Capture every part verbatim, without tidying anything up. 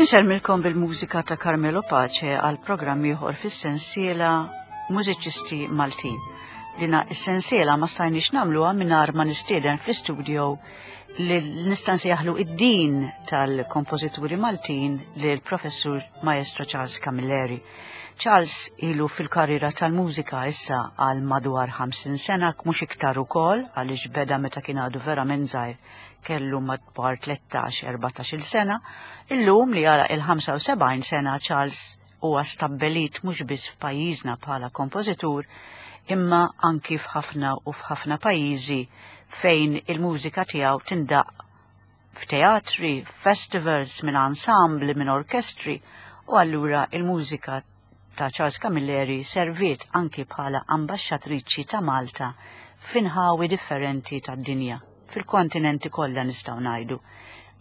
Insellmilkom bil-mużika ta' Carmelo Pace għal programm ieħor fis-sensiela Mużiċisti Maltin. Dina is-sensiela ma stajniex nagħmluha mingħajr ma nistieden fl-istudio li nista' nsejjaħlu id-dean tal-kompożituri Maltin lil professur Maestro Charles Camilleri. Charles ilu fil-karriera tal-mużika issa għal madwar ħamsin sena, mhux iktar ukoll, għaliex beda meta kien għadu verament żgħir, kellu madwar tlettax erbatax-il sena. Illum li għalaq il-ħamsa u sebgħin sena, Charles huwa stabbelit mhux biss f'pajjiżna bħala kompożitur, imma anki f'ħafna u f'ħafna pajjiżi fejn il-mużika tiegħu tindaq f'teatri, festivals, minn ansambli, minn orkestri, u allura il-mużika ta' Charles Camilleri serviet anki bħala ambaxxatriċi ta' Malta f'inħawi differenti tad-dinja, fil-kontinenti kollha nistgħu ngħidu,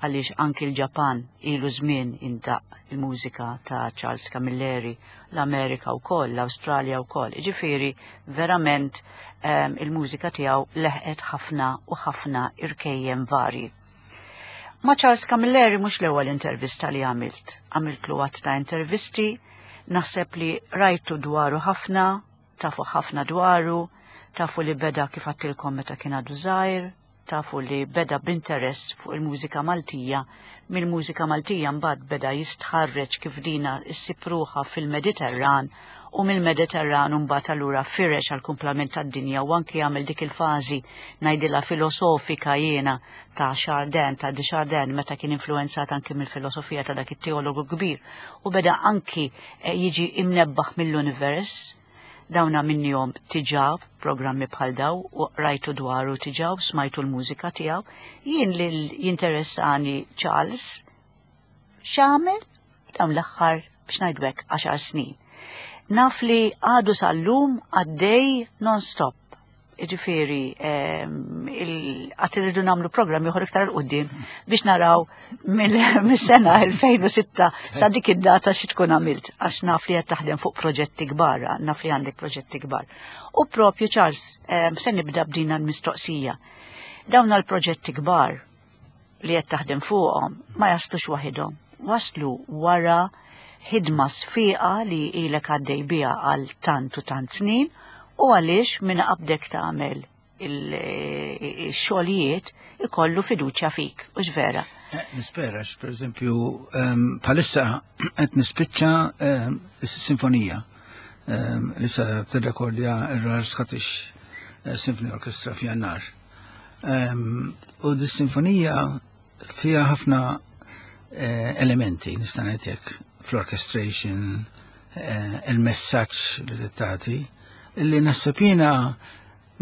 għaliex anki l-Ġapan ilu żmien indaq il-mużika ta' Charles Camilleri, l-Amerika wkoll, l-Awstralja wkoll. Ġifieri verament um, il-mużika tiegħu leħqet ħafna u ħafna irkejjem varji. Ma' Charles Camilleri mhux l-ewwel intervista li għamilt. Għamiltlu għadd ta' intervisti, naħseb li rajtu dwaru ħafna, tafu ħafna dwaru, tafu li beda, kif għedtilkom, meta kien għadu żgħir, tafu li beda b'interess fuq il-mużika Maltija, mill-mużika Maltija mbagħad beda jistħarreġ kif dina ssib ruħha fil-Mediterran u mill-Mediterran mbagħad allura firex għal kumplament tad-dinja u anki għamel dik il-fażi, ngħidilha filosofika jiena, ta' Chardin, ta' de Chardin, meta kien influenzat anki mill-filosofija ta' dak it-teologu kbir u beda anki eh, jiġi imnebbaħ mill-univers. Dawna minnhom diġà programmi bħal daw u rajtu dwaru diġà u smajtu l-mużika tiegħu. Jien li jinteressani Charles x'għamel dawn l-aħħar, biex ngħidu hekk, għaxar snin. Naf li għadu sal-lum għaddej non-stop. Ġifieri, għad irridu nagħmlu programm ieħor iktar 'il quddiem biex naraw mill-sena elfejn u sitta sa dik id-data xi tkun għamilt, għax naf li qed taħdem fuq proġetti kbar, naf li għandek proġetti kbar. U propju Charles, se nibda b'dina l-mistoqsija. Dawn l-proġetti kbar li qed taħdem fuqhom ma jaslux waħidhom, waslu wara ħidma sfiqa li ilek għaddej biha għal tant u tant snin, u għaliex minn qabdek tagħmel il-xogħlijiet ikollu fiduċja fik, u vera? Eh, nispera, per eżempju, bħalissa qed nispiċċa sinfonija li sa tirrekordja il-Royal Scottish eh, Symphony Orchestra f'Jannar. U dis-sinfonija fiha ħafna eh, elementi, nista' ngħid, fl-orchestration, il-messaġġ li tagħti, illi naħseb jiena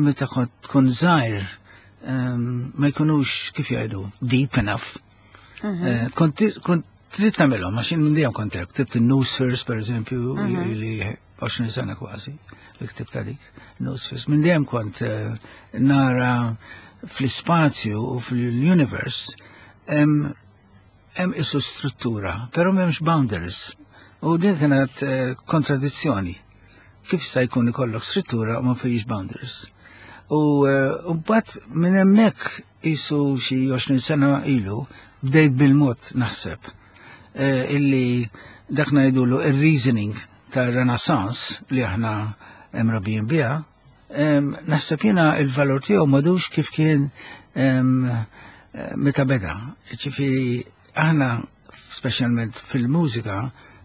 meta kont tkun żgħir ma jkunux, kif jgħidu, deep enough. Mhm. Eh, kont kont trid tagħmelhom għax minn dejjem kont hekk, ktibt il-Noospheres, per eżempju, mhm. li għoxrin sena kważi li ktibt dik Noospheres. Minn dejjem kont eh, nara fl-ispazju u fl-universe hemm isu struttura, però m'hemmx boundaries. U din kienet eh, kontradizzjoni. Kif sta jkun ikollok struttura u ma fijiex boundaries? U eh, mbagħad minn hemmhekk isu xi għoxrin sena ilu bdejt bil-mod naħseb eh, illi dak ngħidulu il-reasoning ta' Renaissance li aħna mrabbijin biha, naħseb jiena il-valur tiegħu m'għadux kif kien meta beda. Ġifieri aħna, speċjalment fil-mużika,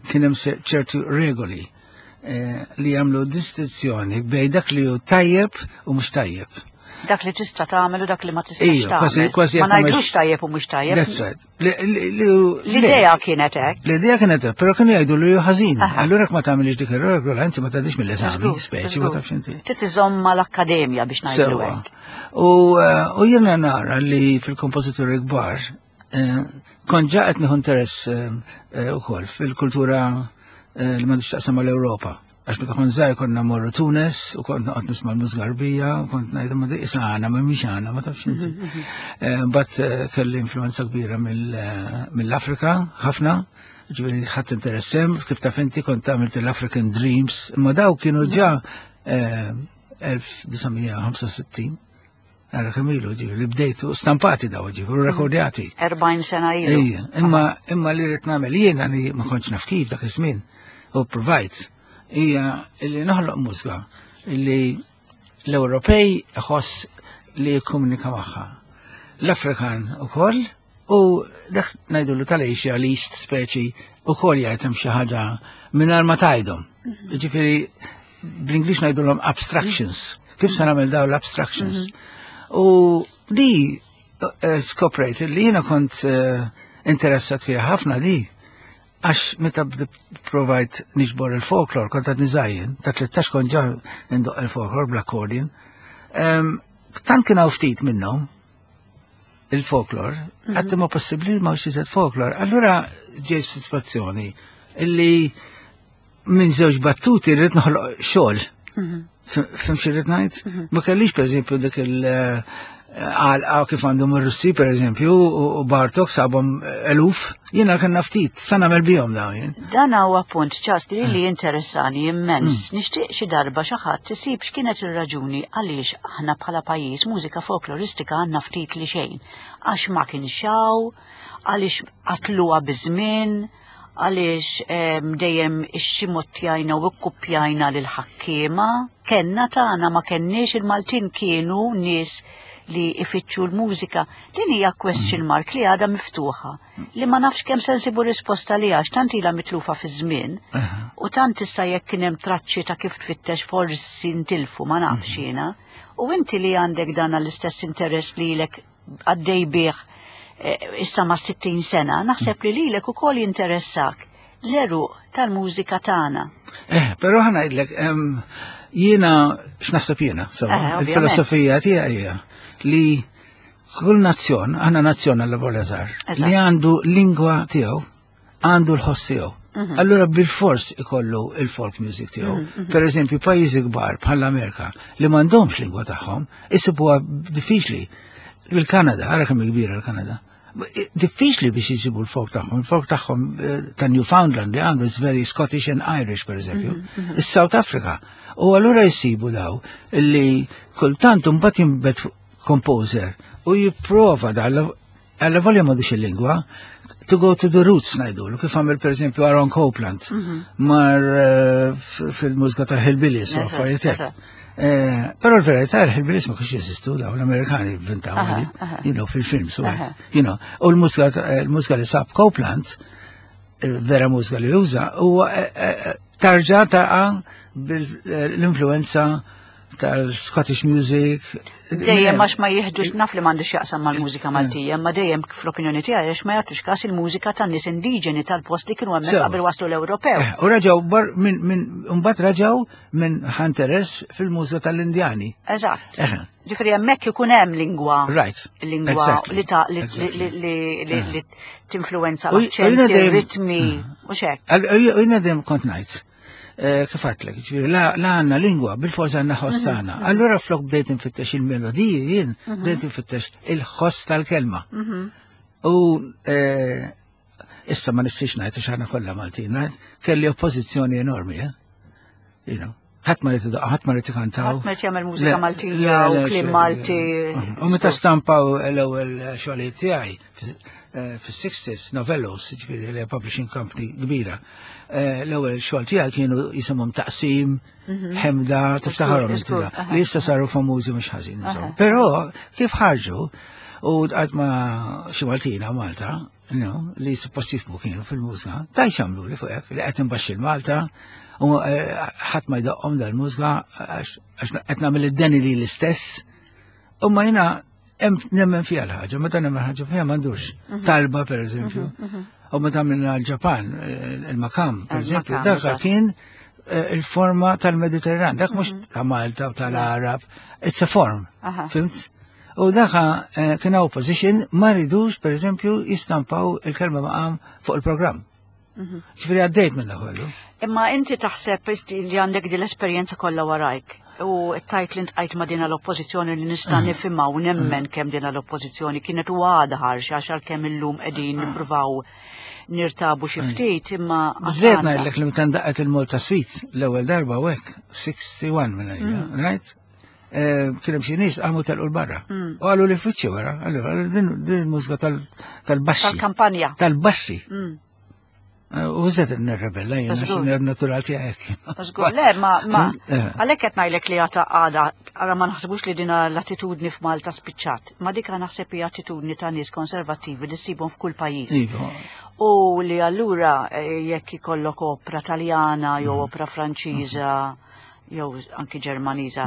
kien hemm ċertu regoli eh, li jagħmlu distinzjoni bejn dak li hu tajjeb u mhux tajjeb. Dak li tista' tagħmel u dak li ma tistax tagħmel. Ma ngħidux tajjeb u mhux tajjeb. That's right. L-idea kienet hekk. L-idea kienet hekk, però kienu jgħidu li hu ħażin. Allura ma tagħmilx dik ir-regola, inti ma tgħaddix mill-eżami, speċi ma tafx inti. Trid iżomm mal-akkademja, biex ngħidu hekk. U eh, jiena nara li fil-kompożituri kbar eh, kont ġa qed nieħu interess ukoll fil-kultura li m'għandix taqsam mal-Ewropa. Għax meta kont żgħir konna morru Tunes u kont noqgħod nisma' l-mużika Għarbija u kont ngħid ma dik għana ma mhix għana, ma tafx inti. Eh, mbagħad eh, kelli influenza kbira eh, mill-Afrika ħafna, ġifieri ħadd interess hemm, kif taf inti kont għamilt l-African Dreams, imma daw kienu ġa elf disa' mija ħamsa u sittin. Għara kemm ilu, ġifieri, li bdejtu stampati daw, ġifieri, rekordjati. erbgħin sena ilu. Ejja, imma imma li rrid nagħmel jiena li ma kontx naf kif dak iż-żmien u provajt hija li noħloq mużika li l-Ewropej iħoss li jikkomunika magħha. L-Afrikan ukoll u dak ngħidulu tal-Asia, l-East speċi ukoll jgħid hemm xi ħaġa mingħajr ma tgħidhom. Ġifieri bl-Ingliż ngħidulhom abstractions. Kif se nagħmel dawn l-abstractions? U di eh, skoprejt li jiena kont eh, interessat fiha ħafna di għax meta provajt niġbor il-folklor, kont għad niżajjen, ta' tlettax kont ġa ndoqq il-folklor bl-accordion. Em, Tant kien hawn ftit minnhom il-folklor, għedt ma possibbli ma iżjed folklor. Allura ġejt f'sitwazzjoni illi minn żewġ battuti rrid noħloq xogħol. Fhimt xi rrid ngħid? Ma kellix pereżempju dik il- għalqa kif għandhom ir-Russi pereżempju u u Bartok sabhom eluf, jiena kellna ftit, sa nagħmel bihom dawn jien. Dan huwa punt ċast li li interessani immens. Nixtieq xi darba xi ħadd isib x'kienet ir-raġuni għaliex aħna bħala pajjiż mużika folkloristika għandna ftit li xejn. Għax ma kienx hawn, għaliex qatluha biż-żmien, għaliex em, dejjem ixximottjajna u kkupjajna lil ħakkiema. Kenna tagħna ma kenniex, il-Maltin kienu nies li ifittxu l-mużika. Din hija question mark li għadha miftuħa li ma nafx kemm se nsibu risposta li għax tant ilha mitlufa fi żmien u tant issa jekk kien hemm traċċi ta' kif tfittex forsi ntilfu, ma nafx jiena. U inti li għandek dan l-istess interess li lek għaddej bih eh, issa ma' sittin sena, naħseb li lilek ukoll jinteressak l-għeruq tal-mużika tagħna. Eh, però ħa ngħidlek, em, jiena x'naħseb jiena, sewa, Eh, ovvjament. il-filosofija tiegħi hija li kull nazzjon, għandna nazzjon għal volja żgħar, Eżatt. li għandu lingwa tiegħu, għandu l-ħoss tiegħu. Mhm. Allura bil-fors ikollu il-folk music tiegħu. Per eżempju, pajjiżi kbar bħall-Amerika li m'għandhomx lingwa tagħhom, isibuha diffiċli. Il-Kanada, ara kemm kbira l-Kanada. Diffiċli biex jisibu l-folk tagħhom. Il-folk tagħhom eh, ta' Newfoundland li għandu is very Scottish and Irish, per eżempju. Is-South Africa. U allura jisibu daw li kultant mbagħad jinbet composer u jipprova dal għalla volja m'għandux il-lingwa to go to the roots ngħidu, kif għamel per eżempju Aaron Copland mar eh, f- fil-mużika tal-Hillbillies u Eżatt, affarijiet hekk. eżatt. Eh, Però l-verità il-Hillbillies ma kienx jeżistu daw, l-Amerikani inventaw, Aha, aha. you know, fil-films u Aha. hekk, you know. U l-mużika l-mużika li sab Copland, vera mużika li juża, huwa eh, eh, tarġa taqa bil-influenza tal-Scottish music. Dejjem għax ma jihdux, naf li m'għandux jaqsam mal-mużika Maltija, ma dejjem fl-opinjoni tiegħi għax ma jagħtux każ il-mużika tan-nies indiġeni tal-post li kienu hemmhekk Sewa. qabel waslu l-Ewropew. Eh, U raġaw bar minn min, mbagħad raġaw minn interess fil-mużika tal-Indjani. Eżatt. Eh. Ġifieri hemmhekk ikun hemm lingwa. Right. Lingwa Exactly. li ta' li Exactly. li li li li tinfluwenza U- u l-aċċenti, jiena dejjem- ir-ritmi u xek. Għal- U jina dejjem kont ngħid. eh, Kif għedtlek, ġifieri, la la għandna lingwa, bil-forza għandna ħoss tagħna. Allura flok bdejt infittex il-melodiji jien, bdejt infittex il-ħoss tal-kelma. U eh, issa ma nistax ngħid għax aħna kollha Maltin, right? Kelli oppożizzjoni enormi, eh? You know. Ħadd ma rid idoqq, ħadd ma rid ikantaw. Ħadd ma rid jagħmel mużika Le, Maltija le, u le, kliem xejn. Malti. U meta stampaw l-ewwel xogħlijiet tiegħi eh, fis-sixties, Novellos, ġifieri li publishing company kbira. eh, L-ewwel xogħol tiegħi kienu jisimhom Taqsim, Ħemda, tiftaħarhom inti żgur, da, aha. li issa saru famużi mhux ħażin. insomma. Però kif ħarġu u għad ma xi Maltina Malta, no, li suppost jifhmu kienu fil-mużika, taj xamlu li fuq hekk, li qed inbaxxi l-Malta, u eh, ħadd ma jdoqqhom dal-mużika għax għax qed nagħmel id-deni li l-istess. U ma jiena hemm nemmen fiha l-ħaġa, meta nemmen ħaġa fiha m'għandux. Talba per eżempju. U meta għamilna l-Ġapan, eh, il-Makam, per eżempju, Il-Makam, dak eżatt. kien eh, il-forma tal-Mediterran, dak mhux ta' Malta u tal-Arab, it's a form. Aha. Fhimt? U daka eh, kien opposition ma ridux, per eżempju, jistampaw il-kelma maqam fuq il-programm. Ġifieri għaddejt minn dak kollu. Imma inti taħseb li għandek din l-esperjenza kollha warajk u tajt li ntqajt ma' dina l-oppożizzjoni li nista' nifhimha u nemmen kemm dina l-oppożizzjoni kienet u għadha ħarxa għax għalkemm illum qegħdin nippruvaw nirtabu xi ftit imma Bżed għandha. ngħidlek li meta ndaqet il-Malta Suite l-ewwel darba u hekk, wieħed u sittin minn għalija, right? eh, kien hemm xi nies qamu telqu 'l barra. U qalu li fwiċċi wara, allura din din il-mużika tal- tal-baxxi. Tal-kampanja. Tal-baxxi. Mm. Eh, U zed nirrebella jien, għax Żgur. natural tiegħek. Żgur, le, ma, ma, Eh. għalhekk qed ngħidlek li għata għada, għara ma naħsibux li dina l-attitudni f'Malta spiċċat, ma dika naħseb hija attitudni ta' nies konservattivi li ssibhom f'kull pajjiż. Iva. U li allura eh, jekk ikollok opra Taljana jew opra Franċiża jew anki Ġermaniża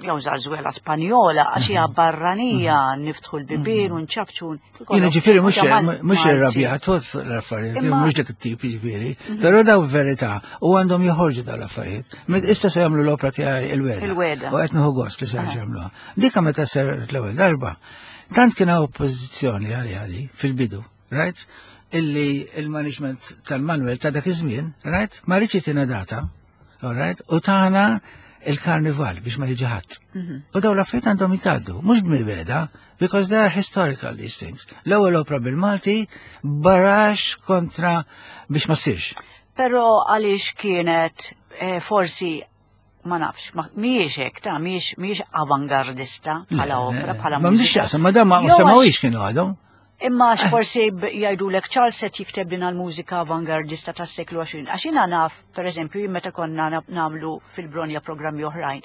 jew zarzuela Spanjola għax hija barranija niftħu l-bibien u nċapċu. Jiena ġifieri mhux mhux Malti. irrabjat fuq l-affarijiet, Imma- mhux dik it-tip ġifieri, però daw verità u għandhom joħorġu daw l-affarijiet. Met issa se jagħmlu l-opra tiegħi il-weda. Il-Weda. U qed nieħu gost li se jagħmluha. Dika meta ser l-ewwel darba, tant kien hawn oppożizzjoni għaliha di fil-bidu, right? Illi il-management tal-Manuel ta' dak iż-żmien, right? Ma riedx jtina data, all right? U tana il-karnival biex ma jiġi ħadd. U daw l-affarijiet għandhom jitgħaddu, mhux b'mibeda, because they are historical these things. L-ewwel opra bil-Malti barax kontra biex ma ssirx. Però għaliex kienet eh, forsi ma nafx, ma mhijiex hekk, ta' mhijiex mhijiex avangardista bħala opra, bħala Ma m'għandix mużika. x'jaqsam, ma dan ma Jew għax- semawix kienu għadhom. Imma għax forsi b- jgħidulek Charles qed jikteb din għal-mużika avangardista tas-seklu għoxrin. Għax jiena naf, per eżempju, jien meta konna na- nagħmlu fil-Bronja programmi oħrajn,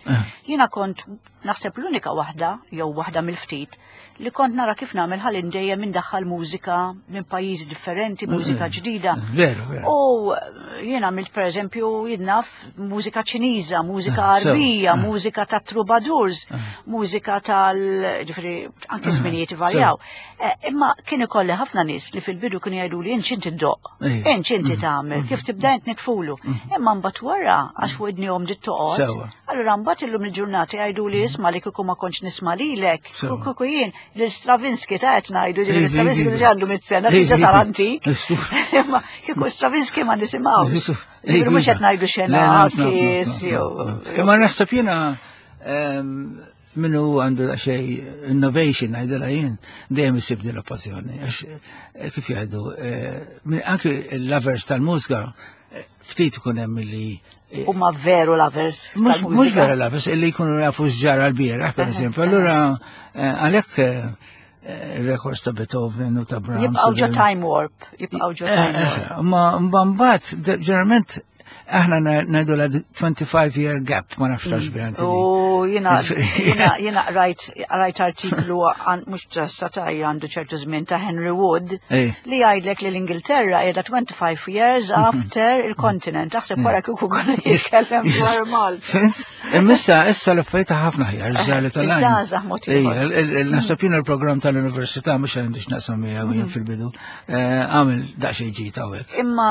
jiena kont naħseb l-unika waħda, jew waħda mill-ftit, li kont nara kif nagħmel ħalli dejjem indaħħal mużika minn pajjiżi differenti, mużika ġdida. Veru, veru. U jiena għamilt per eżempju jidnaf mużika Ċiniża, mużika Ah, sew. Arbija, Ah. mużika ta' troubadours, mużika tal, ġifieri, anki żminijiet varjaw. Eh, Imma kien ikolli ħafna nies li fil-bidu kienu jgħidu li inti inti ddoqq, Ejja. inti inti tagħmel, kif tibda int nitfulu. Imma mbagħad wara għax fuq idnihom dit toqgħod. Sewwa. Allura mbagħad illum il-ġurnata jgħidu li isma' li kieku ma kontx nisma' lilek, Sewwa. kieku jien lil Stravinsky ta' qed ngħidu ġifieri Iva, Stravinsky iva. diġà għandu mitt sena, Iva, diġà sar iva. antik. Isku. Imma kieku Stravinsky ma nisimgħux. Iva, Ġifieri mhux qed ngħidu Le, naf, naf, naf, Xenakis naf, jew. naf. Imma naħseb jiena ehm, minnu għandu xej innovation għajdela jien dejjem isib din l-oppożizzjoni. Għax eh, kif jgħidu, eh, min- anki il-lovers tal-mużika eh, ftit ikun hemm li eh, Huma veru lovers Mux mux tal-mużika. vera lovers, illi jkunu jafu x'ġara l-bieraħ, per eżempju. Allura, eh, għalhekk eh, eh, il-records ta' Beethoven u ta' Brahms. Jibqgħu ġo u- time warp, jibqgħu ġo time Eh, warp. eh, Ma ma mbagħad ġeneralment aħna ngħidu la twenty-five year gap, ma nafx tax biha inti. U jiena jiena jiena rajt rajt artiklu għan- mhux ġassa ta' għandu ċertu żmien ta' Henry Wood Ej. li jgħidlek li l-Ingilterra qiegħda twenty-five years after il-kontinent. Aħseb wara kieku kollu jitkellem dwar Malta. Fhimt? Imma issa issa l-affarijiet ħafna ħjar ġali tal-għajn. Iż-żgħażagħ mod ieħor. Naħseb jiena l-programm tal-università mhux għandix naqsam miegħu jien fil-bidu. Eh, Għamel daqsxejn ġid hawnhekk. Imma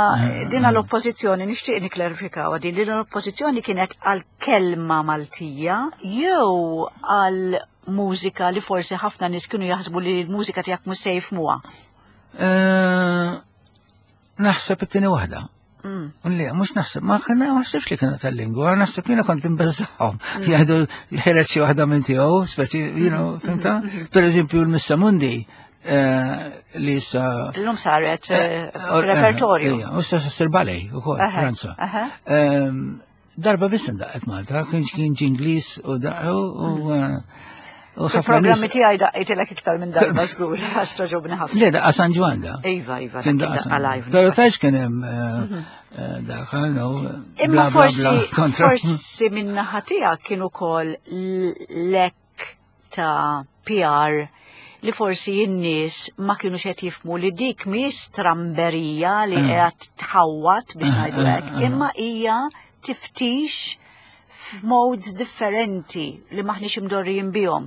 dina l-oppożizzjoni nixtieq niklarifikaw din din l-oppożizzjoni kienet għal kelma Maltija jew għal mużika li forsi ħafna nies kienu jaħsbu li l-mużika tiegħek mhux se jifhmuha? Eh, Naħseb it-tieni waħda. Mm. Li, mhux naħseb, ma kena, ma naħsebx li kienu tal-lingwa, naħseb jiena kont imbeżżagħhom. Jgħidu ħereġ xi waħda minn tiegħu, speċi, you know, fhimta? Per eżempju, l-Missa Mundi, eh, li issa Illum saret eh, Eh, repertorju. Ija, u issa ssir ballet ukoll, Aha, Franza. aha. Ehm, Darba biss indaqqet Malta, kien kien ġinglis u daqqu u eh, u ħafna Fil-programmi nies. tiegħi daqqejtilek iktar minn darba żgur, għax togħġobni ħafna. Le, daqqa San Ġwann da. Iva, iva, Kien dak daqqa San daqqa live. Pero tajx kien hemm eh, eh, dak, I don't know, Imma bla bla forsi, bla kontra. Forsi minn naħa tiegħek kien ukoll lek ta' P R li forsi n-nies ma kienu qed jifhmu li dik mhix stramberija li Mm. qiegħed tħawwat biex Mm, ngħidu hekk, mm, mm. imma hija tiftix f'modes differenti li maħniex imdorrijin bihom.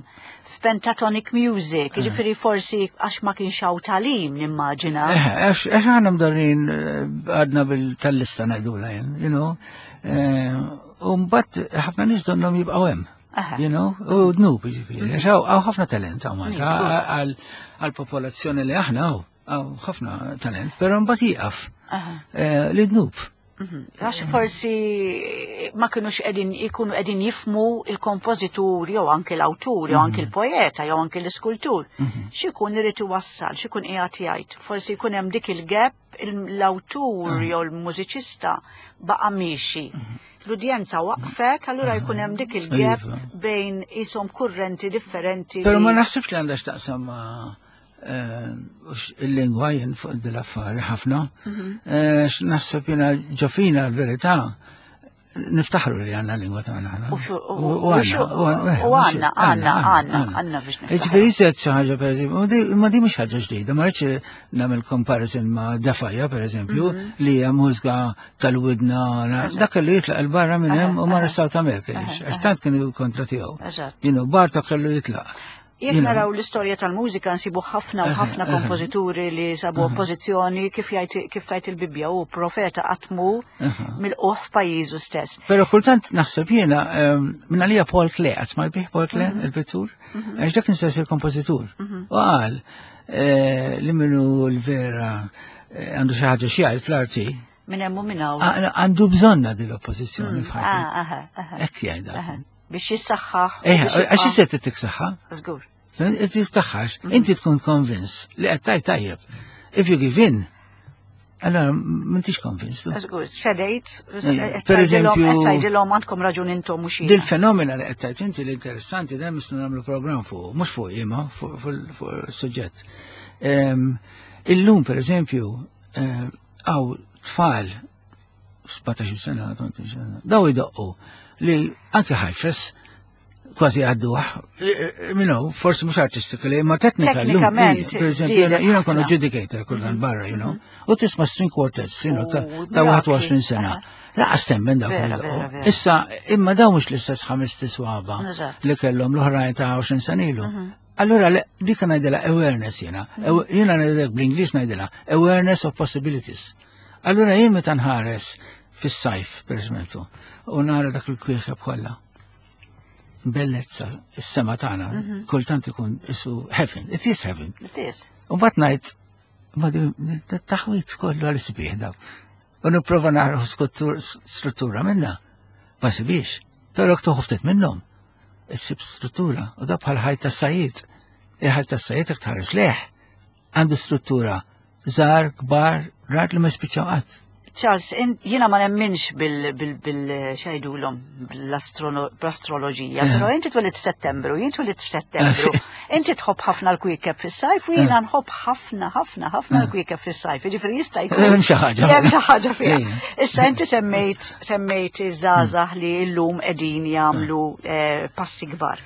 F'pentatonic music, jiġifieri forsi għax ma kienx hawn tagħlim nimmaġina. Eh, Għax għax aħna mdorrin eh, għadna bil-tal-lista ngħidula jien, you know. Eh, U mbagħad ħafna nies donnhom jibqgħu hemm. Aha. You know, u dnub jiġifieri. Għax hawn hawn ħafna talent hawn Malta Żgur. għal għal-popolazzjoni li aħna hawn hawn ħafna talent, però mbagħad jieqaf Aha. eh, li dnub. Mhm. Għax forsi ma kienux qegħdin ikunu qegħdin jifhmu il-kompożitur jew anke l-awtur jew anke il-poeta jew anke l-iskultur. X'ikun irid iwassal, x'ikun qiegħed jgħid. Forsi jkun hemm dik il-gap, il- l-awtur jew l-mużiċista baqa' miexi. L-udjenza waqfet, allura jkun hemm dik il-gap Iva. bejn isom kurrenti differenti. Pero li- ma naħsibx li għandha x'taqsam ma' eh, ux il-lingwa jien fuq dil-affari ħafna. Eh, Naħseb jiena ġo fina l-verità niftaħru li għandna lingwa tagħna aħna. U xu- u- U u xu- għandna, u għandna, u għandna, għandna, għandna, għandna biex niftaħru. Ġifieri jised xi ħaġa pereżempju, ma di- ma di mhux ħaġa ġdida, ma rridx nagħmel comparison ma' Defaja pereżempju, li hija mużika tal-widna, dak li jitlaq il-barra minn hemm u mar South America, għax tant kienu kontra tiegħu. Eżatt. You know, Bartok kellu jitlaq. Jekk You know. naraw l-istorja tal-mużika nsibu ħafna u ħafna kompożituri li sabu oppożizzjoni kif jgħid kif tgħid il-Bibbja u profeta qatt mhu milqugħ f'pajjiżu stess. Pero kultant naħseb jiena, ehm, minn għalija Paul Klee, qatt smajt bih Paul Klee, il-pittur, għax dak nistess il-kompożitur. U qal eh, li minnu l-vera eh, għandu xi ħaġa xi jgħid fl-arti, Minn hemm u minn hawn. għa- għandu bżonna din l-oppożizzjoni f'ħajtu. Ah, aha, aha, Hekk jgħidha. aha. Biex jissaħħaħ. u Eh, biex għax jibqa'- jisset tik saħħa, Żgur. inti taħħax, inti tkun convinced li qed tajt tajjeb. If you give in, allora m'intix convinced. Żgur, ċedejt, Eh, per eżempju- qed tgħidilhom għandkom raġun intom mhux jiena. Dil-fenomena li qed tgħid inti l-interessanti dan misnu nagħmlu programm fuq, mhux fuq imma fuq fuq is-suġġett. Ehm, Illum per eżempju, hawn tfal sbatax-il sena, tmintax-il sena, daw idoqqu li anke Heifetz kważi għadduh, you forsi mhux artistically, ma teknika llum. Teknikament, Per eżempju, żdiedet jiena konu ħafna. adjudicator kullan barra, you know, u tisma' string quartets, you know, ta' U ta' mirakli. wieħed u għoxrin sena. Lanqas temmen dawk Vera, li vera, doqqu. vera. Issa, imma daw mhux l-istess ħames tiswaba Eżatt. li kellhom l-oħrajn ta' għoxrin sena ilu. Allura, le- dik ngħidilha awareness jiena. Aw- Jiena ngħidilha bl-Ingliż ngħidilha awareness of possibilities. Allura jien meta nħares fis-sajf, per eżempju, u nara dak il-kwiekeb kollha. Bellezza, is-sema tagħna, kultant ikun isu heaven, it is heaven. It is. U mbagħad ngħid, ma di taħwit kollu għal sbieħ dak. U nipprova nara struttura minna. Ma sibiex. Però jekk toħu ftit minnhom, issib struttura. U da bħal ħajt tas-sajjied. Il-ħajt tas-sajjied jekk tħares leħ. Għandu struttura żgħar, kbar, rar li ma jispiċċaw qatt. Charles, in- jiena ma nemminx bil bil bil x'jgħidulhom bl-astroloġija, Eh. però inti twelidt f'Settembru, jien twelidt f'Settembru. Eh, Inti tħobb ħafna l-kwiekeb fis-sajf u jiena nħobb ħafna ħafna ħafna l-kwiekeb fis-sajf. Jiġifieri jista' jkun. Hemm xi ħaġa. Hemm xi ħaġa fiha. Eh. Issa inti semmejt semmejt iż-żgħażagħ li llum qegħdin jagħmlu eh, passi kbar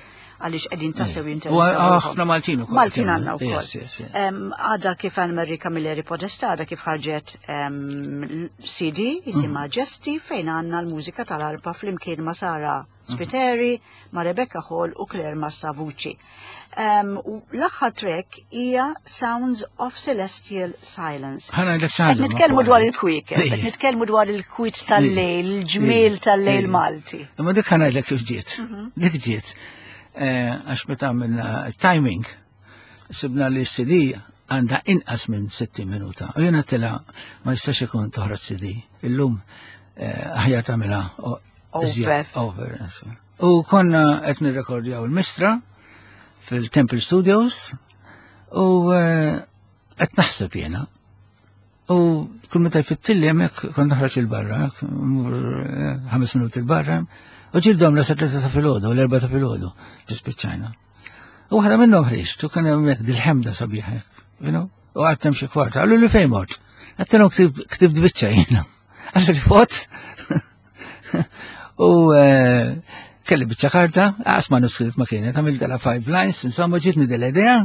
għaliex qegħdin tassew U jinteressaw. ħafna Maltin ukoll. Maltin għandna wkoll. Yes, yes, yes. Em, Għada kif Anne-Marie Camilleri Podesta, għada kif ħarġet em, C D jisimha Ġesti fejn għandna l-mużika tal-arpa flimkien ma' Sara Spiteri, ma' Rebecca Hall u Claire Massa Vucci. Em, u l-aħħar track hija Sounds of Celestial Silence. Ħa ngħidlek xi Qed ħaġa. nitkellmu dwar il-kwiekeb, Ej. qed nitkellmu dwar il-kwiet tal-lejl, il-ġmiel tal-lejl Malti. Imma dik ħa ngħidlek kif ġiet. Dik ġiet. Eh, Għax meta għamilna timing, sibna li C D għandha inqas minn sittin minuta. U jiena tela ma jistax ikun toħroġ C D. Illum eh, aħjar tagħmilha o- iżjed- Over. Over. insomma. U konna qed nirrekordjaw il-Mistra fil-Temple Studios u eh, qed naħseb jiena. U kull meta jfittilli hemmhekk kont naħroġ il-barra, mmur, eh, ħames minuti il-barra, u ġildhom la tlieta ta' filgħodu, u l-erbgħa ta' filgħodu, ġispiċċajna. U waħda minnhom ħriġt, u kien hemmhekk dil-ħemda sabiħa hekk, you know, u għedt hemm xi kwarta, qallu li fejn mort. Għedtilhom ktibt biċċa jiena. Qallu li what? U eh, kelli biċċa karta, għas manuskritt ma kienet, għamilt dala five lines, insomma ġitni dell-idea,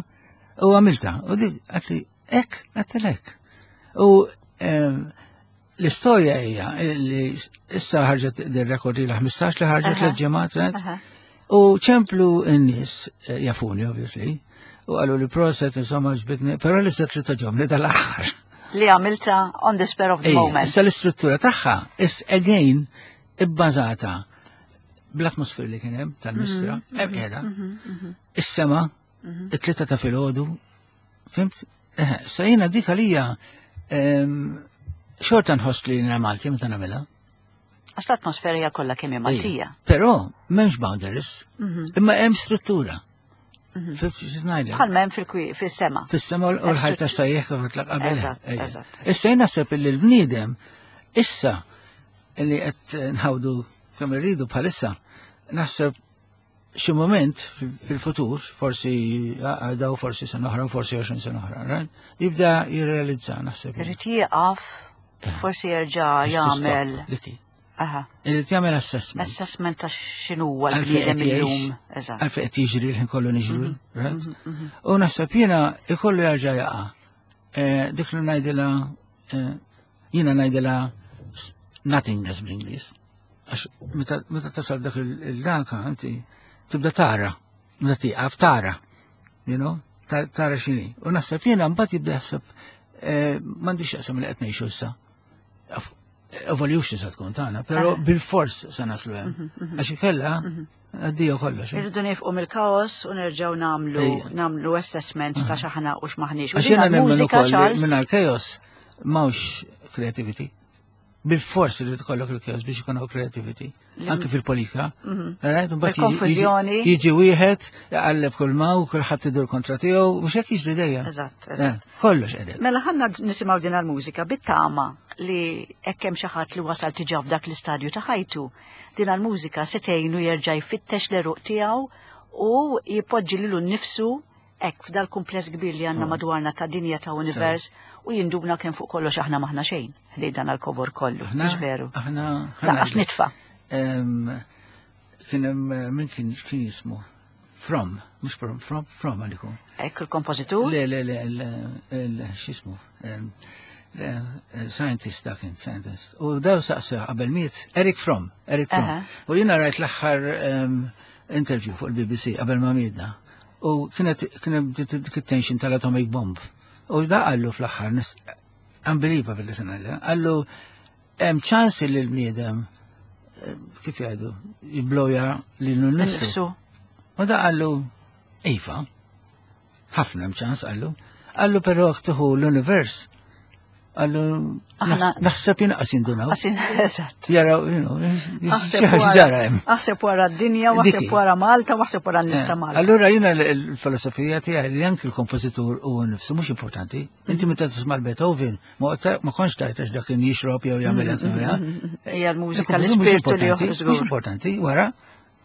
u għamilta. U di, għedtli, hekk, għedtilek. U em, l-istorja hija li issa ħarġet dir-rekord li ħmistax li ħarġet Aha. l-ġimgħat, right? Aha. U ċemplu n-nies eh, jafuni, obviously, u qalu li proset, insomma, ġbitni, però l-istess li togħġobni dal-aħħar. Li għamilta on the spur of the Ejja, moment. issa l-istruttura tagħha is again ibbażata bl-atmosfera li kien hemm tal-Mistra, hemm qiegħda. Is-sema, it-tlieta ta' filgħodu, fhimt? Eh, Sa jiena dik għalija em, xorta nħoss li jiena Malti meta nagħmilha. Għax l-atmosfera hija kollha kemm hija Maltija. Però m'hemmx boundaries, imma hemm struttura. Fhimt xi ngħidlek? Bħal m'hemm fil-kwi- fis-sema. Fis-sema u l-ħajt tas-sajjeħ kif qed qabel. Eżatt, Ejja. eżatt. Issa jien naħseb li l-bniedem issa li qed nħawdu kemm irridu bħalissa, naħseb xi moment fil-futur, forsi għadaw, forsi sena oħra, forsi għoxrin sena oħra, right? Jibda jirrealizza, naħseb. Irid jieqaf, forsi jerġa' jagħmel. Aha. Irid jagħmel assessment. Assessment ta' x'inhuwa l-bniedem illum. Eżatt. Għalfejn qed jiġri l-ħin kollu niġru, right? U naħseb jiena ikollu jerġa' jaqa'. Dik li ngħidilha, jiena ngħidilha nothingness bl-Ingliż. Għax meta tasal dak il-danka, inti tibda tara, meta tieqaf tara, you know, tara x'inhi. U naħseb jiena mbagħad jibda jaħseb m'għandix jaqsam li qed ngħixu issa. Evolution sa tkun tagħna, però bil-fors sa naslu hemm. Għax ikella għaddija kollox. Irridu nifqu mill-kaos u nerġgħu nagħmlu nagħmlu assessment ta' x'aħna u x'maħniex. Għax jiena nemmen ukoll mingħajr chaos m'hawnx creativity. Bil-fors li tkollok il-chaos biex ikun creativity, anke fil-politika. Il-konfużjoni. Jiġi wieħed, jaqalleb kull ma u kulħadd idur kontra tiegħu, mhux hekk jiġri dejjem. Eżatt, eżatt. Kollox qegħdem. Mela ħanna nisimgħu din il-mużika bit-tama li hekk hemm xi ħadd li wasal diġà f'dak l-istadju ta' ħajtu. Din il-mużika se tgħinu jerġa' jfittex l-eruq tiegħu u jipoġġi lilu nnifsu hekk f'dal-kumpless kbir li għandna madwarna ta' dinja ta' univers u jinduna kemm fuq kollox aħna maħna xejn li dan għal-kobor kollu, mhux veru. Aħna laqas nitfa. Kien hemm min kien kien jismu From, mhux From, From, From għalikum. Hekk il-kompożitur? Le, le, le, x'ismu? Scientist ta' kien, scientist. U daw saqsew qabel miet, Eric Fromm, Eric Fromm. U jiena rajt l-aħħar interview fuq il-B B C qabel ma mietna. U kienet kienet tension tal-atomic bomb. U da qallu fl-aħħar, unbelievable li sena, qallu hemm ċans li l-bniedem kif jgħidu jibloja lilu nnifsu. U da qallu iva, ħafna hemm ċans qallu. Qallu però tieħu l-univers. Qallu naħseb jinqas jindunaw. Eżatt. Jaraw, you know, xi ġara hemm. Aħseb wara d-dinja, aħseb wara Malta, aħseb wara n-nies ta' Malta. Allura jiena l-filosofija tiegħi li anki l-kompożitur u nnifsu mhux importanti. Inti meta tisma' l-Beethoven, ma kontx tajt għax dak kien jixrob jew jagħmel hekk. Hija l-mużika, l-ispirtu li joħroġ. Mhux importanti, wara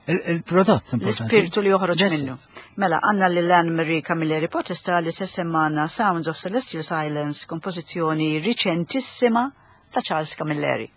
il-prodott importanti. L-ispirtu li joħroġ minnu. Mela, għandna lil Anne Marie Camilleri Potesta li se semmana Sounds of Celestial Silence, kompożizzjoni riċentissima ta' Charles Camilleri.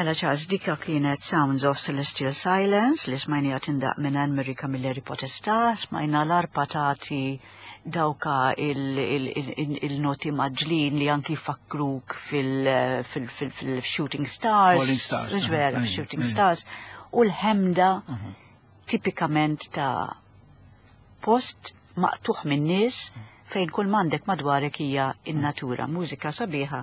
Mela Charles, dika kienet Sounds of Celestial Silence li smajnija tindaq minn Anne-Marie Camilleri Potestà, smajna l-arpa tagħti dawka il-noti maġlin li anki fakkruk fil-Shooting Stars. Falling Stars. Vera, Shooting Stars. U l-ħemda tipikament ta' post maqtuħ minn nies fejn kull m'għandek madwarek hija in-natura, mużika sabiħa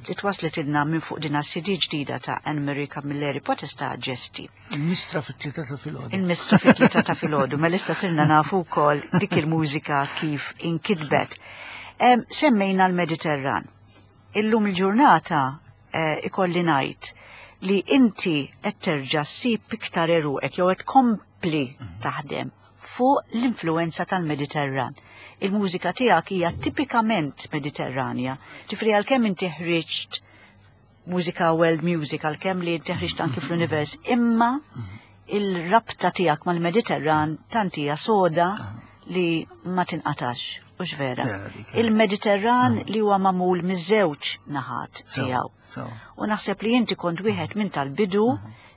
li twaslet ilna minn fuq din C D ġdida ta' Anne-Marie Camilleri Potestà Ġesti. Il-mistra fit-tlieta ta' filgħodu. Il-mistra fit-tlieta ta' filgħodu, mela issa sirna nafu wkoll dik il-mużika kif inkitbet. Semmejna l-Mediterran. Illum il-ġurnata ikolli ngħid li inti qed terġa' ssib iktar eruqek jew qed tkompli taħdem fuq l-influenza tal-Mediterran. Il-mużika tiegħek hija tipikament Mediterranja. Ġifri għalkemm inti ħriġt mużika world music, għalkemm li inti ħriġt anki fl-univers, imma il-rabta tiegħek mal-Mediterran tant hija soda li ma tinqatax, hux vera. Il-Mediterran li huwa magħmul miż-żewġ naħat tiegħu. U naħseb li inti kont wieħed minn tal-bidu,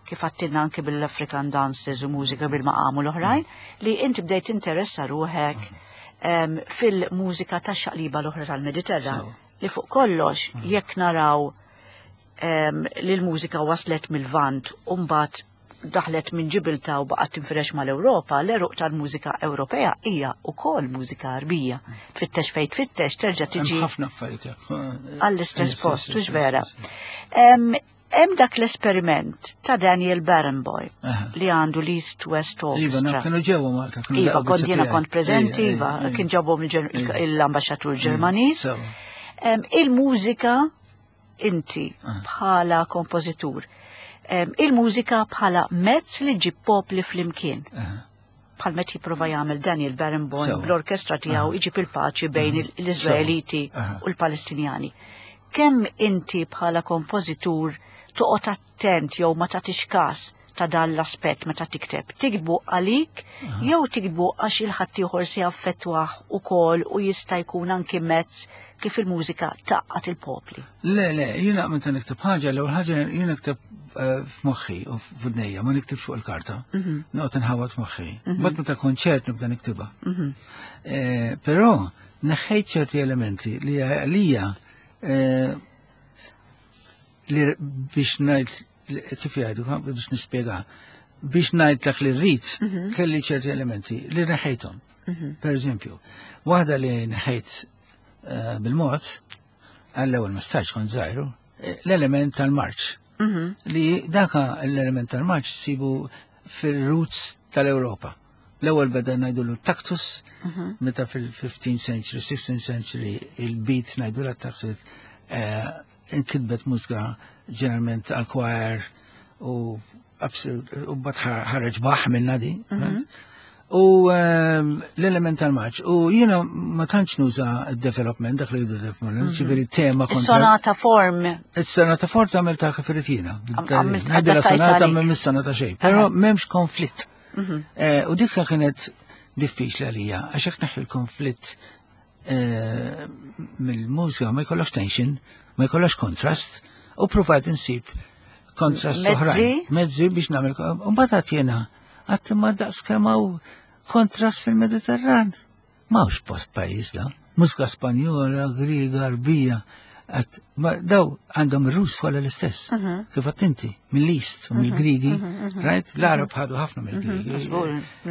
kif għattilna anki bil-African dances u mużika bil-maqam u l-oħrajn, li inti bdejt interessa ruħek fil-mużika ta' xaqliba l-oħra tal-Mediterran, li fuq kollox jekk naraw li l-mużika waslet mill-Lvant u mbagħad daħlet minn Ġibilta u baqgħet tinfirex mal-Ewropa, l-eruq tal-mużika Ewropea hija wkoll mużika Arbija. Tfittex fejn tfittex terġa' tiġi ħafna affarijiet għall-istess post, hux vera. Hemm dak l-esperiment ta' Daniel Barenboim li għandu l-East West Orchestra. Iva, kienu ġewwa Malta. Iva, kont jiena kont preżenti, iva, kien ġabhom l-ambaxxatur Ġermaniż. Il-mużika inti bħala kompożitur, il-mużika bħala mezz li ġib popli flimkien. Bħal meta jipprova jagħmel Daniel Barenboim bl-orkestra tiegħu iġib il-paċi bejn l-Iżraeliti u l-Palestinjani. Kemm inti bħala kompożitur toqgħod attent jew ma tagħtix każ ta' dan l-aspett meta tikteb? Tiktbu għalik jew tiktbu għax il-ħaddieħor se jaffettwah ukoll u jista' jkun anki mezz kif il-mużika taqqat il-popli? Le, le, jiena meta nikteb ħaġa, l-ewwel ħaġa jiena nikteb f'moħħi u f'udnejja, ma niktibx fuq il-karta. Noqgħod inħawad f'moħħi. Mbagħad meta konċert nibda niktibha. Però neħħejt ċerti elementi li għalija li biex ngħid kif jgħidu, biex nispjega, biex ngħid dak li rrid, kelli ċerti elementi li neħejthom. Per eżempju, waħda li neħejt bil-mod, għall-ewwel ma stajtx kont żgħiru, l-element tal-marċ. Li daka l-element tal-marċ sibu fil-roots tal-Ewropa. L-ewwel beda ngħidulu taktus, meta fil-fifteenth century, sixteenth century, il-beat ngħidulu taktus, inkitbet mużika ġeneralment għal choir u u mbagħad ħareġ baħ minna di. U l-element tal-marċ. U jiena ma tantx nuża d-development, dak li jgħidu development, ġifieri tema kontra. Is-sonata form. Is-sonata form tagħmel ta' kif irid jiena. Ngħidilha sonata m'hemm sonata xejn, però m'hemmx konflitt. U dik kienet diffiċli għalija, għax hekk neħħi l-konflitt mill-mużika ma jkollokx tension, ma jkollokx kontrast, u provajt insib kontrast oħrajn. Mezzi biex nagħmel. U mbagħad għad jiena għad imma daqs kemm hawn kontrast fil-Mediterran. M'hawnx post pajjiż da. Mużika Spanjola, Griega, Arbija, daw għandhom ir-Rus kollha l-istess. Kif għedt inti, mill-East u mill-Grigi, right? L-Arab ħadu ħafna mill-Grigi.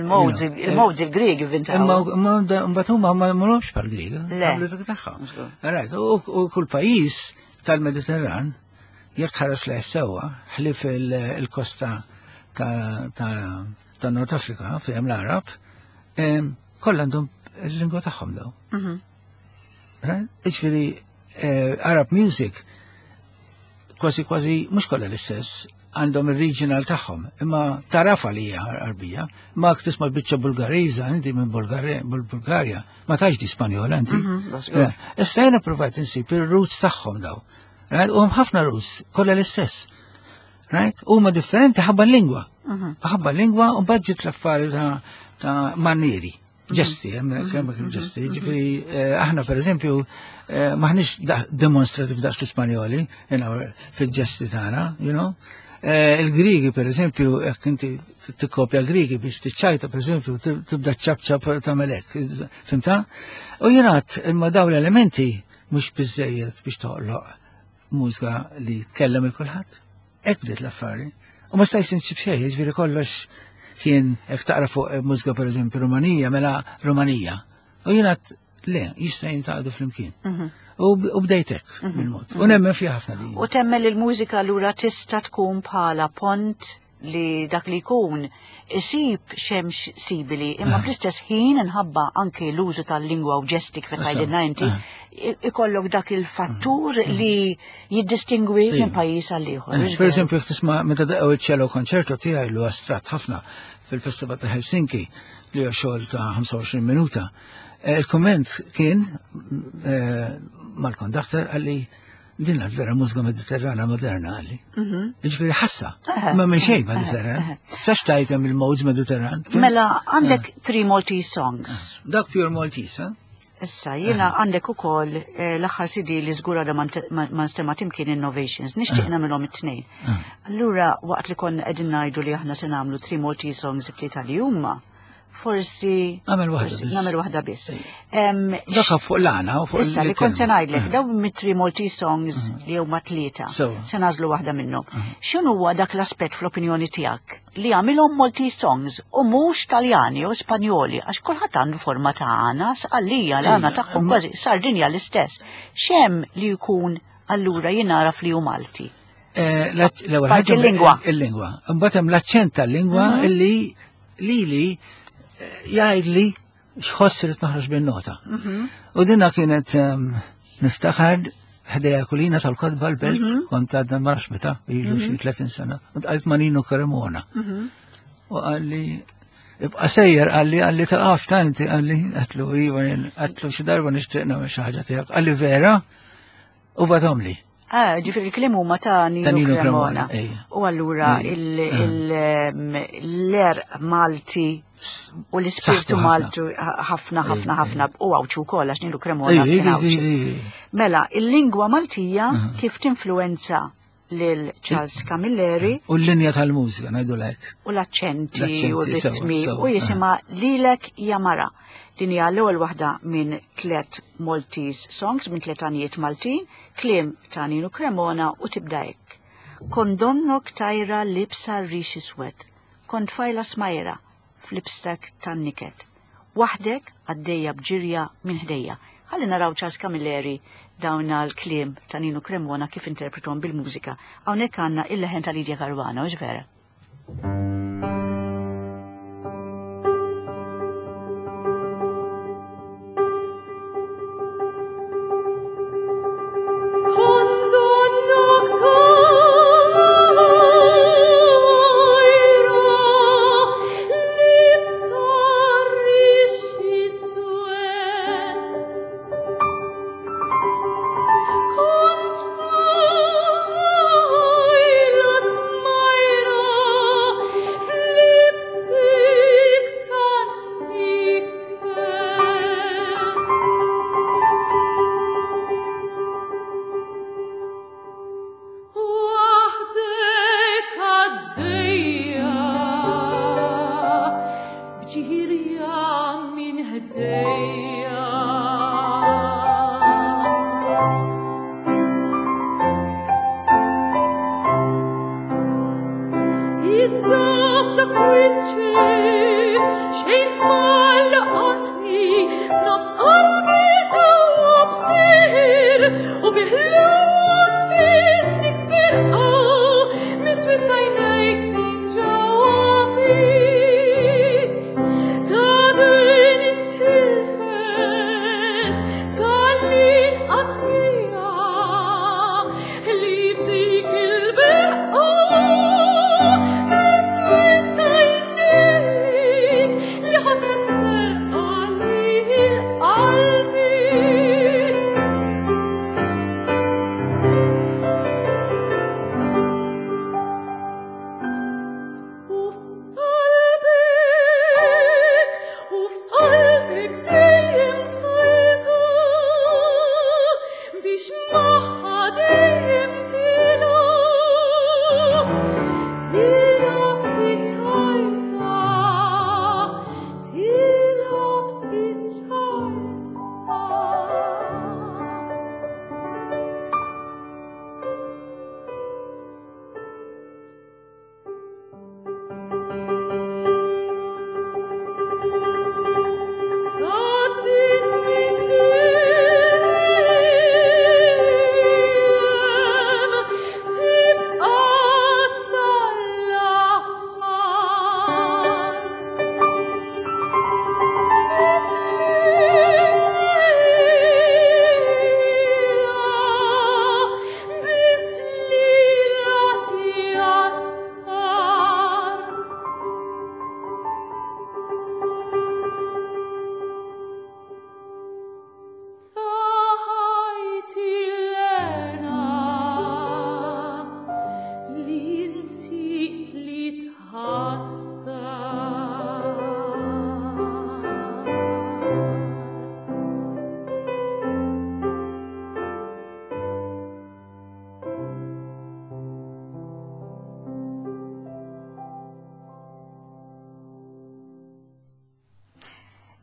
Il-mowds il-Grigi vintaw. Imma mbagħad huma ma jmorrux bħall-Griega. Le. Tagħhom. Right, u kull pajjiż tal-Mediterran jekk tħares lejh sewwa, ħlief il-kosta ta' Nord Afrika fejn l-Arab, kollha għandhom il-lingwa tagħhom daw. Jiġifieri Arab music kważi kważi mhux kollha l-istess, għandhom il-regional tagħhom, imma tarafa li hija Għarbija, ma tisma' biċċa Bulgariża inti minn Bulgarja, ma tax di Spanjola inti. Mhm, Issa jiena provajt insib il-roots tagħhom daw. Right? U hemm ħafna roots, kollha l-istess. Right? Huma differenti ħabba l-lingwa. Mhm. Ħabba l-lingwa u mbagħad l-affari ta' manieri. Ġesti, hemmhekk ġesti. Ġifieri eh, aħna pereżempju eh, maħniex demonstrativ daqs l-Ispanjoli fil-ġesti tagħna, you know. Eh, Il-Grigi, per eżempju, jekk inti tikkopja Grigi biex tiċċajta, per eżempju, tibda ċap ċap tagħmel hekk, fhimtha? U jingħad imma dawn l-elementi mhux biżejjed biex toħloq mużika li tkellem il kulħadd. Hekk bdiet l-affari. U ma stajx insib xejn, jiġifieri kollox kien jekk taqra fuq mużika per eżempju Rumanija, mela Rumanija. U jingħad le, jista' jintaqdu flimkien. Mhm. U bdejtek mhm. bil-mod. U nemmen fiha ħafna li. U temmen li l-mużika lura tista' tkun bħala pont li dak li jkun isib xemx sibili, imma Ah. fl-istess ħin nħabba anke l-użu tal-lingwa u ġesti kif tgħidilna inti, Ah. ikollok dak il-fattur li jiddistingwi minn pajjiż għal ieħor. Eh, Per eżempju, jekk tisma' meta daqqew il-cello concerto tiegħi li astratt ħafna fil-Festival ta' Helsinki li huwa xogħol ta' ħamsa u għoxrin minuta. Eh, Il-komment kien eh, mal-kondakter qalli din vera mużika mediterrana moderna qalli. Mhm. Ġifieri ħassa, Eħe, ma minn xejn eħe, Mediterran. eħe. Sax tajtem il-modes Mediterran. Mela għandek three Maltese songs. Dak pure Maltese, eh? Issa, jiena għandek ukoll eh, l-aħħar C D li żgur għadha ma nstema' timkien, Innovations, nixtieq nagħmilhom it-tnejn. Allura, waqt li konna qegħdin ngħidu li aħna se nagħmlu three Maltese songs, it-tlieta li huma, forsi Nagħmel waħda forsi biss. Nagħmel waħda biss. Em, Dak fuq l-għana u fuq Issa li kont se ngħidlek, Eh. dawn mit-three Maltese songs li huma tlieta, Sewa. se nagħżlu waħda minnhom. X'inhu huwa dak l-aspett fl-opinjoni tiegħek li għamilhom Maltese songs u mhux Taljani u Spanjoli, għax kulħadd għandu forma ta' għana, Sqallija l-għana tagħhom kważi Sardinja l-istess. X'hemm li jkun allura jingħaraf li hu Malti? Eh, l-ewwel Parti ħaġa l-lingwa. Il-lingwa. Imbagħad hemm l-aċċent tal-lingwa illi lili eh, jgħidli x'ħoss irid noħroġ bin-nota. U dinna kienet ehm, niftakar ħdejja kulina tal-kotba l-Belt, kont għadna marx meta, ilu xi tletin sena, u tqajt ma' Nino Cremona. U qalli, ibqa sejjer, qalli, qalli taqaf ta' inti, qalli, għedtlu, iva, jien, għedtlu xi darba nixtieq nagħmel xi ħaġa tiegħek. Qalli vera, u bagħathomli. Ah, ġifieri il-kliem huma ta' Nino Ta' Nino Cremona. Cremona, ejja. U allura Ejja. l-għerq Malti u l-ispirtu Saħħtu ħafna. Malti ħafna ħafna ħafna u Għawdxi wkoll għax Nino Cremona Ejja, kien ejja, Għawdxi. ejja, ejja. Mela, il-lingwa Maltija kif tinfluenza lil Charles Camilleri U l-linja tal-mużika, ngħidu lek. u l-aċċenti L-aċċenti, u r-ritmi sewa, sewa, u jisimha Lilek Ja Mara. Din hija l-ewwel waħda minn tliet Maltese songs, minn tliet għanijiet Maltin, kliem ta' Nino Cremona u tibda hekk. Kont donnok tajra liebsa rix iswed, kont tfajla smajra f'libstek tan-niket. Waħdek għaddejja b'ġirja minn ħdejja. Ħalli naraw Charles Camilleri dawn l-kliem ta' Nino Cremona kif interpretom bil-mużika. Hawnhekk għandna il-leħen ta' Lydia Caruana, hux vera? Kont donnok tajra liebsa rix iswed, Kont tfajla smajra f'libsek tan-niket. Waħdek għaddejja b'ġirja minn ħdejja. Iżda f'dak wiċċek xejn ma laqatni, nofs qalbi sewwa b'sir u biħlut tfitnik birqa miswit għajnejk minn ġewwa fik. Ta' din intilfet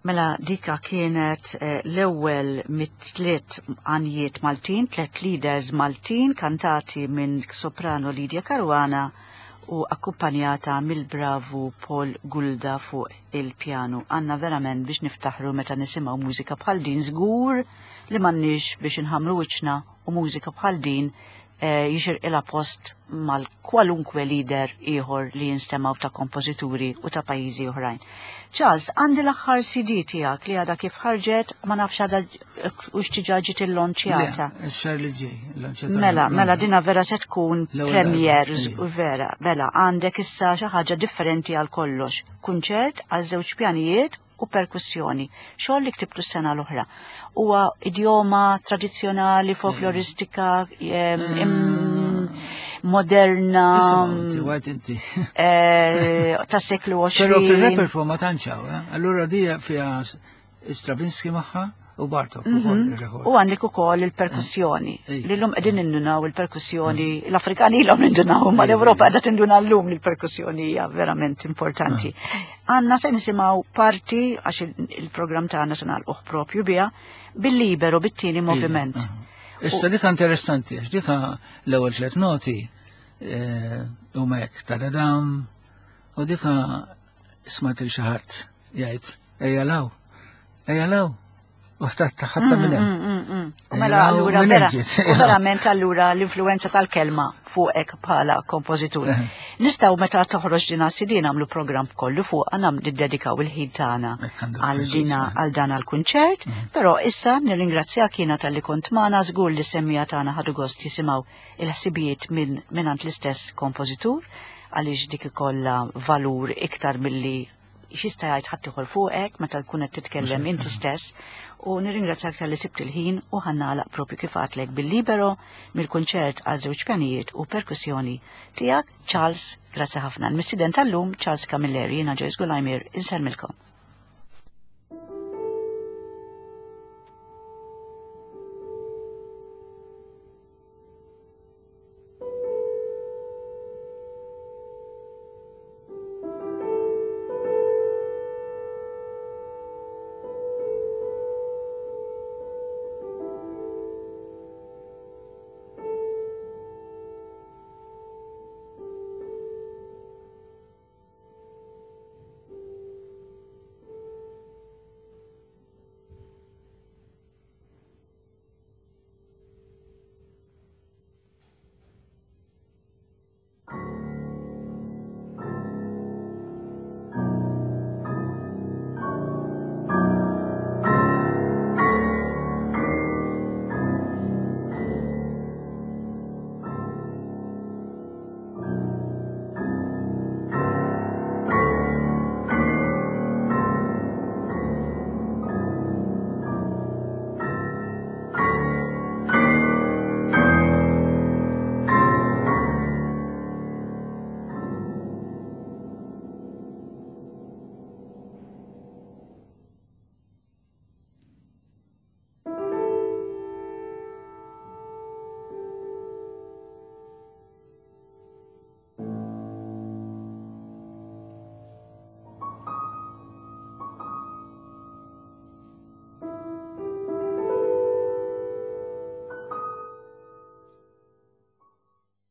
Mela dika kienet eh, l-ewwel mit-tliet għanjiet Maltin, tliet leaders Maltin kantati minn soprano Lydia Caruana u akkumpanjata mill-bravu Paul Gulda fuq il-pjanu. Għanna verament biex niftaħru meta nisimgħu mużika bħal din, żgur li m'għandniex biex inħamru wiċċna, u mużika bħal din eh, jixirqilha post mal kwalunkwe lieder ieħor li jinstemaw ta' kompożituri u ta' pajjiżi oħrajn. Charles, għandi l-aħħar C D tiegħek li għadha kif ħarġet, ma nafx għadha u x'diġà ġiet illonċjata. Le, ix-xahar li ġej. Lonċjata. Mela, mela dina vera se tkun L-ewwel premier darba, u vera, mela għandek issa xi ħaġa differenti għal kollox. Kunċert għal żewġ pjanijiet u perkussjoni. Xogħol li ktibtu s-sena l-oħra. Huwa idjoma tradizzjonali, folkloristika, em, im- moderna, Isma' inti, għajt inti. eh, ta' seklu Pero għoxrin. fil-repertoire ma tantxaw, eh? Allura dija fija Stravinsky magħha u Bartok ukoll ir-rekord. U għandek ukoll il-perkussjoni. Ej. Li l-lum qegħdin nindunaw il-perkussjoni, l-Afrikani ilhom nindunaw, ma l-Ewropa qiegħda tinduna llum li l-perkussjoni hija verament importanti. Għanna se nisimgħu parti, għax il- il-programm tagħna se nagħlquh propju biha, bil-libero, bit-tieni moviment. Issa dika interessanti, għax dika l-ewwel tliet noti eh, huma hekk ta' u dika smajt il xi ħadd jgħid ejja law, ejja law, u ħadd ħatta minn hemm. Mm, mm. U Ejja mela law, allura minn vera, hemm ġiet. u verament allura l-influenza tal-kelma fuqek bħala kompożitur. Eh. Nistgħu meta toħroġ dina C D nagħmlu programm kollu fuq, għandna niddedikaw il-ħin tagħna Hekk għandu għal pjaċir, dina eh. għal dan għal-kunċert, però issa nirringrazzjak jiena talli kont magħna, żgur li semmiegħa tagħna ħadu gost jisimgħu il-ħsibijiet minn mingħand l-istess kompożitur, għaliex dik ikollha valur iktar milli x'jista' jgħid ħadd ieħor fuqek meta tkun qed titkellem inti stess, u nirringrazzjak talli sibt il-ħin u ħa nagħlaq propju kif għedtlek bil-libero mill-kunċert għal żewġ pjanijiet u perkussjoni tiegħek, Charles, grazzi ħafna. Il-mistieden tal-lum Charles Camilleri, jiena Joyce Gulajmir, insellmilkom.